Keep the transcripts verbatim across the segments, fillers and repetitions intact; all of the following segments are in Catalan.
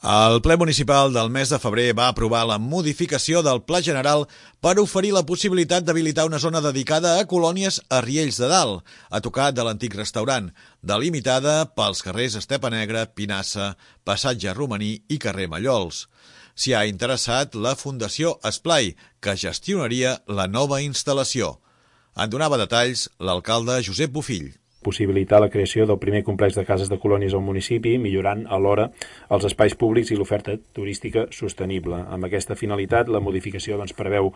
El ple municipal del mes de febrer va aprovar la modificació del Pla General per oferir la possibilitat d'habilitar una zona dedicada a colònies a Riells de Dalt, a tocar de l'antic restaurant, delimitada pels carrers Estepa Negra, Pinassa, Passatge Romaní i carrer Mallols. S'hi ha interessat la Fundació Esplai, que gestionaria la nova instal·lació. En donava detalls l'alcalde Josep Bofill. Possibilitar la creació del primer complex de cases de colònies al municipi, millorant alhora els espais públics i l'oferta turística sostenible. Amb aquesta finalitat, la modificació doncs, preveu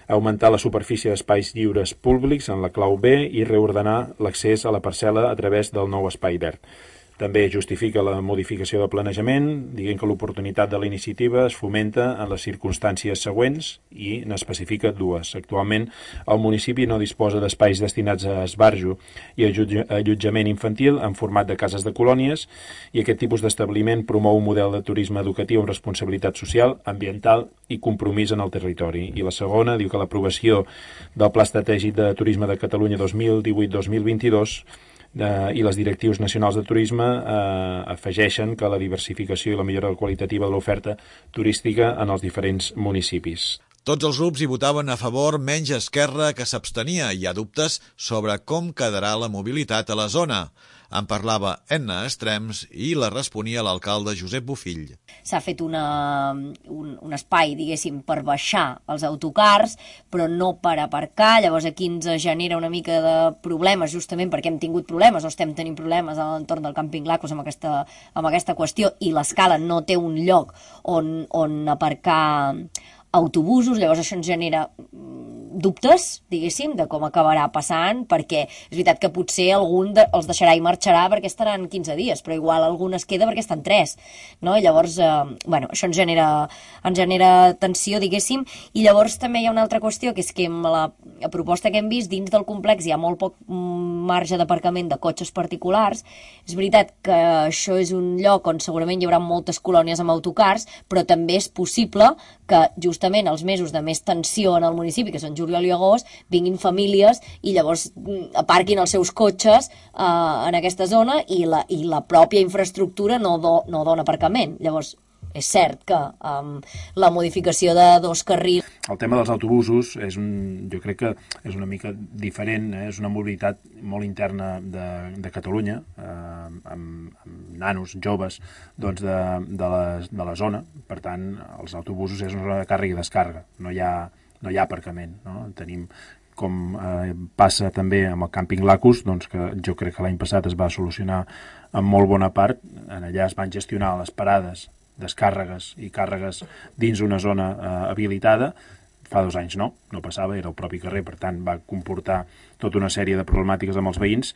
augmentar la superfície d'espais lliures públics en la clau B i reordenar l'accés a la parcel·la a través del nou espai verd. També justifica la modificació del planejament, dient que l'oportunitat de la iniciativa es fomenta en les circumstàncies següents i n'especifica dues. Actualment, el municipi no disposa d'espais destinats a esbarjo i allotjament infantil en format de cases de colònies i aquest tipus d'establiment promou un model de turisme educatiu amb responsabilitat social, ambiental i compromís en el territori. I la segona diu que l'aprovació del Pla Estratègic de Turisme de Catalunya dos mil divuit dos mil vint-i-dos Eh, i les directius nacionals de turisme eh, afegeixen que la diversificació i la millora qualitativa de l'oferta turística en els diferents municipis. Tots els grups hi votaven a favor, menys Esquerra, que s'abstenia. Hi ha dubtes sobre com quedarà la mobilitat a la zona. En parlava Enna Estrems i la responia l'alcalde Josep Bofill. S'ha fet una, un, un espai, diguéssim, per baixar els autocars, però no per aparcar. Llavors aquí ens genera una mica de problemes, justament perquè hem tingut problemes o estem tenint problemes a l'entorn del càmping Lacos amb aquesta, amb aquesta qüestió i l'escala no té un lloc on, on aparcar autobusos, llavors això ens genera dubtes, diguéssim, de com acabarà passant, perquè és veritat que potser algun de, els deixarà i marxarà perquè estaran quinze dies, però igual algun es queda perquè estan tres, no? I llavors, eh, bueno, això ens genera, ens genera tensió, diguéssim, i llavors també hi ha una altra qüestió, que és que amb la, la proposta que hem vist, dins del complex hi ha molt poc marge d'aparcament de cotxes particulars. És veritat que això és un lloc on segurament hi haurà moltes colònies amb autocars, però també és possible que justament els mesos de més tensió en el municipi, que són juliol i agost, vinguin famílies i llavors aparquin els seus cotxes eh, en aquesta zona i la, i la pròpia infraestructura no, do, no dona aparcament. Llavors, és cert que um, la modificació de dos carrils... El tema dels autobusos és un, jo crec que és una mica diferent, eh? És una mobilitat molt interna de, de Catalunya, eh, amb, amb nanos, joves, doncs de, de, la, de la zona. Per tant, els autobusos és una zona de càrrega i descàrrega, no hi ha, no hi ha aparcament, no? Tenim, com eh, passa també amb el càmping Lacus, doncs que jo crec que l'any passat es va solucionar en molt bona part. En allà es van gestionar les parades, descàrregues i càrregues dins una zona eh, habilitada. Fa dos anys no, no passava, era el propi carrer, per tant va comportar tota una sèrie de problemàtiques amb els veïns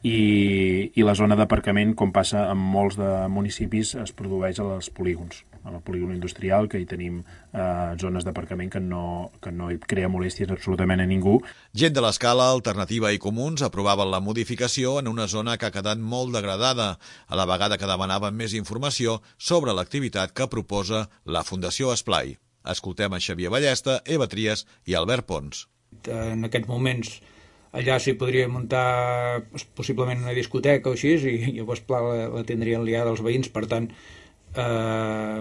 i, i la zona d'aparcament, com passa en molts de municipis, es produeix als polígons, al polígon industrial, que hi tenim eh, zones d'aparcament que no, que no hi crea molèsties absolutament a ningú. Gent de l'Escala, Alternativa i Comuns aprovaven la modificació en una zona que ha quedat molt degradada, a la vegada que demanaven més informació sobre l'activitat que proposa la Fundació Esplai. Escoltem a Xavier Ballesta, Eva Trias i Albert Pons. En aquests moments allà s'hi podria muntar possiblement una discoteca o així i llavors clar, la, la tindrien liada els veïns, per tant eh,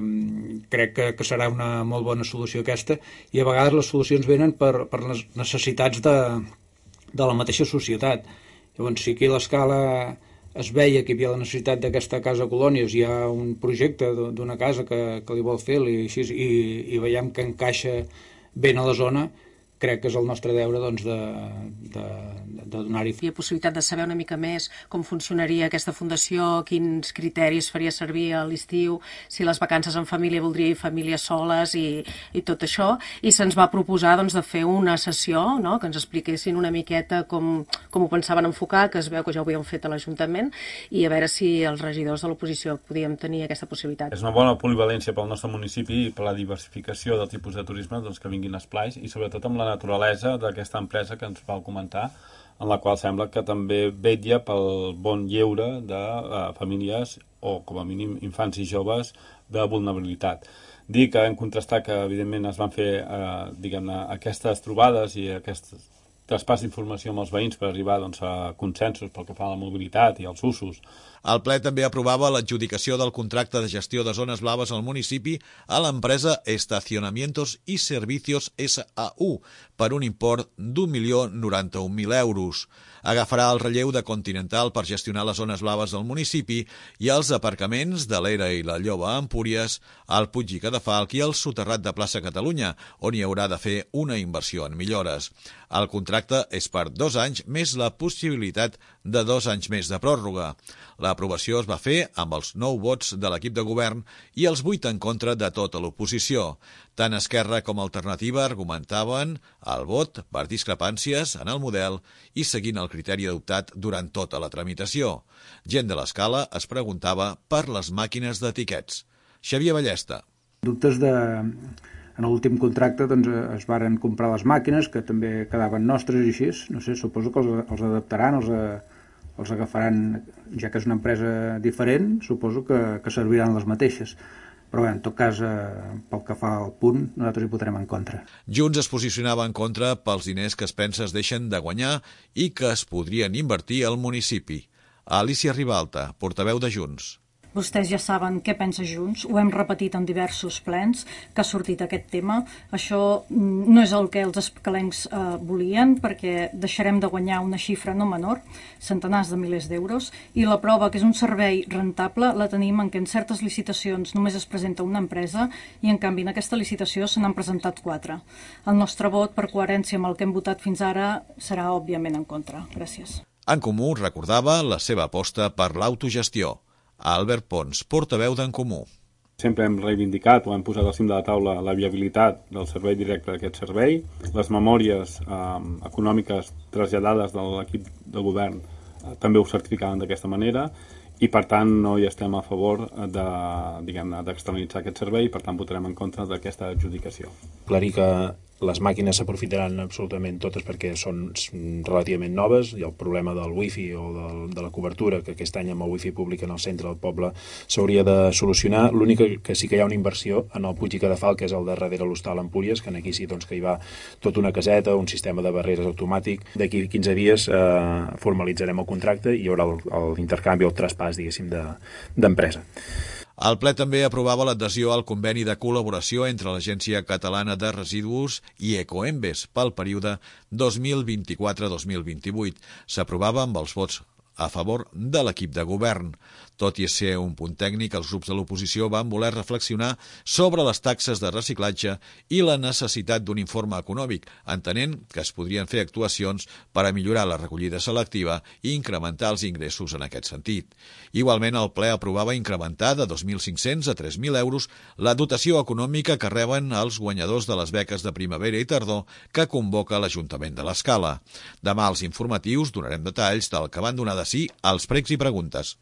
crec que, que serà una molt bona solució aquesta i a vegades les solucions venen per, per les necessitats de, de la mateixa societat. Llavors si aquí a l'Escala es veia que hi havia la necessitat d'aquesta casa colònies, hi ha un projecte d'una casa que, que li vol fer i, així, i, i veiem que encaixa ben a la zona, crec que és el nostre deure doncs, de, de, de donar-hi. Hi ha possibilitat de saber una mica més com funcionaria aquesta fundació, quins criteris faria servir a l'estiu, si les vacances en família voldria ir famílies soles i, i tot això, i se'ns va proposar doncs, de fer una sessió, no?, que ens expliquessin una miqueta com, com ho pensaven enfocar, que es veu que ja ho havíem fet a l'Ajuntament, i a veure si els regidors de l'oposició podíem tenir aquesta possibilitat. És una bona polivalència pel nostre municipi i per la diversificació del tipus de turisme doncs, que vinguin esplais i sobretot amb la naturalesa d'aquesta empresa que ens vau comentar, en la qual sembla que també vetlla pel bon lleure de uh, famílies o, com a mínim, infants i joves de vulnerabilitat. Dir que hem contrastat que, evidentment, es van fer uh, diguem-ne, aquestes trobades i aquest traspàs d'informació amb els veïns per arribar doncs, a consensos pel que fa a la mobilitat i als usos El ple també aprovava l'adjudicació del contracte de gestió de zones blaves al municipi a l'empresa Estacionamientos y Servicios S A U per un import d'un milió noranta-un mil euros. Agafarà el relleu de Continental per gestionar les zones blaves del municipi i els aparcaments de l'Era i la Lloba a Empúries, al Puig i Cadafalc i el soterrat de Plaça Catalunya, on hi haurà de fer una inversió en millores. El contracte és per dos anys més la possibilitat de dos anys més de pròrroga. L'aprovació es va fer amb els nou vots de l'equip de govern i els vuit en contra de tota l'oposició. Tant Esquerra com Alternativa argumentaven el vot per discrepàncies en el model i seguint el criteri adoptat durant tota la tramitació. Gent de l'Escala es preguntava per les màquines d'etiquets. Xavier Ballesta. Dubtes de... En l'últim contracte doncs, es varen comprar les màquines, que també quedaven nostres i així. No sé, suposo que els, els adaptaran, els, els agafaran, ja que és una empresa diferent, suposo que, que serviran les mateixes. Però bé, en tot cas, eh, pel que fa al punt, nosaltres hi votarem en contra. Junts es posicionava en contra pels diners que es pensa es deixen de guanyar i que es podrien invertir al municipi. Alicia Ribalta, portaveu de Junts. Vostès ja saben què pensa Junts, ho hem repetit en diversos plens que ha sortit aquest tema. Això no és el que els escalencs eh, volien, perquè deixarem de guanyar una xifra no menor, centenars de milers d'euros, i la prova que és un servei rentable la tenim en què en certes licitacions només es presenta una empresa i en canvi en aquesta licitació se n'han presentat quatre. El nostre vot, per coherència amb el que hem votat fins ara, serà òbviament en contra. Gràcies. En Comú recordava la seva aposta per l'autogestió. Albert Pons, portaveu d'En Comú. Sempre hem reivindicat o hem posat al cim de la taula la viabilitat del servei directe d'aquest servei, les memòries eh, econòmiques traslladades de l'equip de govern eh, també ho certificaven d'aquesta manera i per tant no hi estem a favor de, diguem-ne, d'externalitzar aquest servei i per tant votarem en contra d'aquesta adjudicació. Aclarir que les màquines s'aprofitaran absolutament totes perquè són relativament noves i el problema del wifi o del, de la cobertura, que aquest any amb el wifi públic en el centre del poble s'hauria de solucionar. L'únic que sí que hi ha una inversió en el Puig i Cadafalc, que és el de darrere l'hostal Empúries, que aquí sí doncs, que hi va tota una caseta, un sistema de barreres automàtic. D'aquí quinze dies eh, formalitzarem el contracte i hi haurà l'intercanvi, el traspàs, diguéssim, d'empresa. El ple també aprovava l'adhesió al conveni de col·laboració entre l'Agència Catalana de Residus i Ecoembes pel període dos mil vint-i-quatre a dos mil vint-i-vuit. S'aprovava amb els vots a favor de l'equip de govern. Tot i ser un punt tècnic, els grups de l'oposició van voler reflexionar sobre les taxes de reciclatge i la necessitat d'un informe econòmic, entenent que es podrien fer actuacions per a millorar la recollida selectiva i incrementar els ingressos en aquest sentit. Igualment, el ple aprovava incrementar de dos mil cinc-cents a tres mil euros la dotació econòmica que reben els guanyadors de les beques de primavera i tardor que convoca l'Ajuntament de l'Escala. Demà als informatius donarem detalls del que van donar de sí als pregs i preguntes.